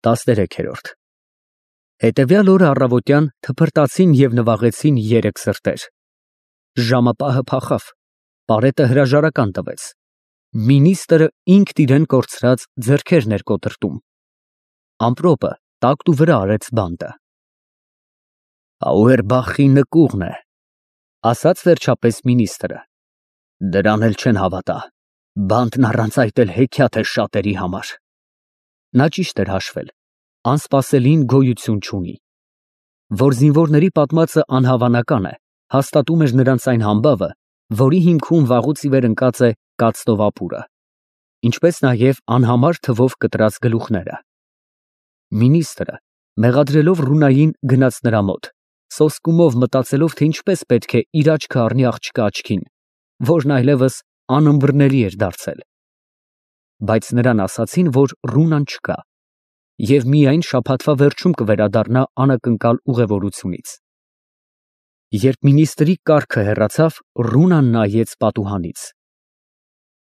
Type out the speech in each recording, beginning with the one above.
13-րդ Հետևյալ օրը առավոտյան թփրտացին և նվաղեցին երեք սրտեր։ Ժամապահը փախավ, պարետը հրաժարական տվեց, մինիստրը ինքն իրեն կորցրած ձեռքերն էր կոտրտում, ամպրոպը տակտու վրա արեց բանտը։ Աուերբախի նկուղն է, ասաց վերջապես մինիստրը, դրան էլ չեն հավատա, բանտն առանց այդ էլ հեքիաթ է շատերի համար։ Նա ճիշտ էր հաշվել, անսպասելին գոյություն չունի։ Որ զինվորների պատմածը անհավանական է, հաստատում էր նրանց այն համբավը, որի հիմքում վաղուց ի վեր ընկած է կացնով ապուրը, ինչպես նաև անհամար թվով կտրած գլուխները։ Մինիստրը, մեղադրելով Ռունային, գնաց նրա մոտ, սոսկումով մտածելով, թե ինչպես պետք է իր աչքը առնի աղջկա աչքին, որն այլևս անըմբռնելի էր դարձել։ Բայց նրան ասացին, որ Ռունան չկա, և միայն շաբաթվա վերջում կվերադառնա անակնկալ ուղևորությունից։ Երբ մինիստրի կառքը հեռացավ, Ռունան նայեց պատուհանից։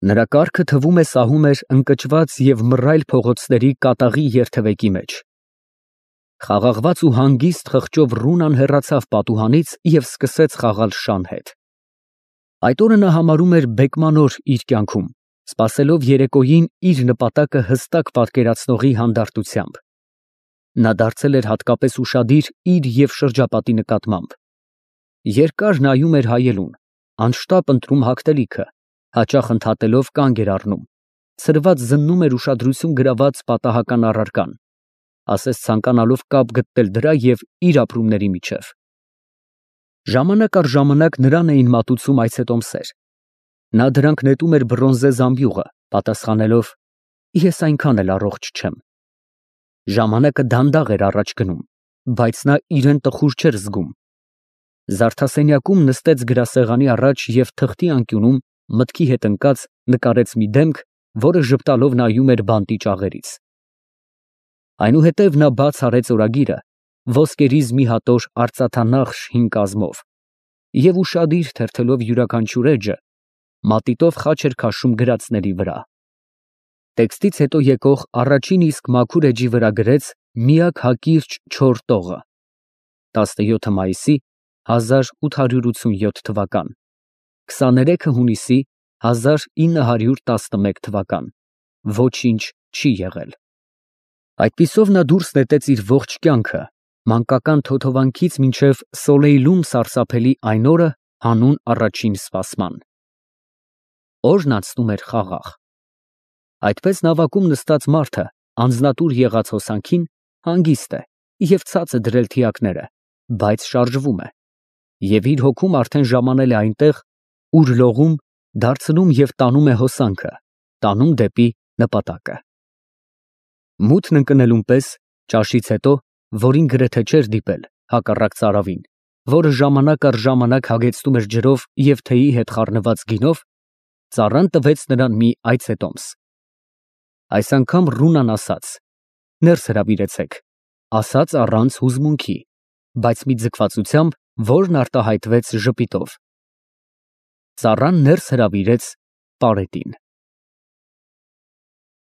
Նրա կառքը թվում է սահում էր ընկճված և մռայլ փողոցների կատաղի երթևեկի մեջ։ Խաղաղված ու հանգիստ խղճով Ռունան հեռացավ պատուհանից և սկսեց խաղալ շան հետ։ Այդ օրը նա համարում էր բեկման օր իր կյանքում, սպասելով երեկոյին իր նպատակը հստակ պատկերացնողի հանդարտությամբ։ Նա դարձել էր հատկապես ուշադիր իր և շրջապատի նկատմամբ։ Երկար նայում էր հայելուն, անշտապ ընտրում հագնելիքը, հաճախ ընդհատելով կանգ էր առնում, ցրված զննում էր ուշադրություն գրաված պատահական առարկան, ասես ցանկանալով կապ գտնել դրա և իր ապրումների միջև։ Ժամանակ առ ժամանակ նրան էին մատուցում այցետոմսեր։ Նա դրանք նետում էր բրոնզե զամբյուղը, պատասխանելով. «Ես այնքան էլ առողջ չեմ»։ Ժամանակը դանդաղ էր առաջ գնում, բայց նա իրեն տխուր չէր զգում։ Զարդասենյակում նստեց գրասեղանի առաջ և թղթի անկյունում, մտքի հետ ընկած, նկարեց մի դեմք, որը ժպտալով նայում էր բանտի ճաղերից։ Այնուհետև նա բաց արեց օրագիրը, ոսկերիզ մի հատոր արծաթանախշ հին կազմով, և ուշադիր թերթելով յուրաքանչյուր էջը, մատիտով խաչ էր քաշում գրածների վրա։ Տեքստից հետո եկող առաջին իսկ մաքուր էջի վրա գրեց միակ հակիրճ չոր տողը, 17 մայիսի 1887 թվական, 23 հունիսի 1911 թվական, ոչինչ չի եղել։ Այդպիսով նա դուրս նետեց իր ողջ կյանքը, մանկական թոթովանքից մինչև Սոլեյլում սարսափելի այն օրը հանուն առաջին սպասման։ Օրն անցնում էր խաղաղ։ Այդպես նավակում նստած մարդը, անձնատուր եղած հոսանքին, հանգիստ է և ցած է դրել թիակները, բայց շարժվում է, և իր հոգում արդեն ժամանել է այնտեղ, ուր լողում, դարձնում և տանում է հոսանքը, տանում դեպի նպատակը։ Մութն ընկնելուն պես, ճաշից հետո, որին գրեթե չէր դիպել, հակառակ ծարավին, որը ժամանակ առ ժամանակ հագեցնում էր ջրով և թեյի հետ խառնված գինով, ծառան տվեց նրան մի այցետոմս։ Այս անգամ Ռունան ասաց. «Ներս հրավիրեցեք», ասաց առանց հուզմունքի, բայց մի ձգվածությամբ, որն արտահայտվեց ժպիտով։ Ծառան ներս հրավիրեց պարետին։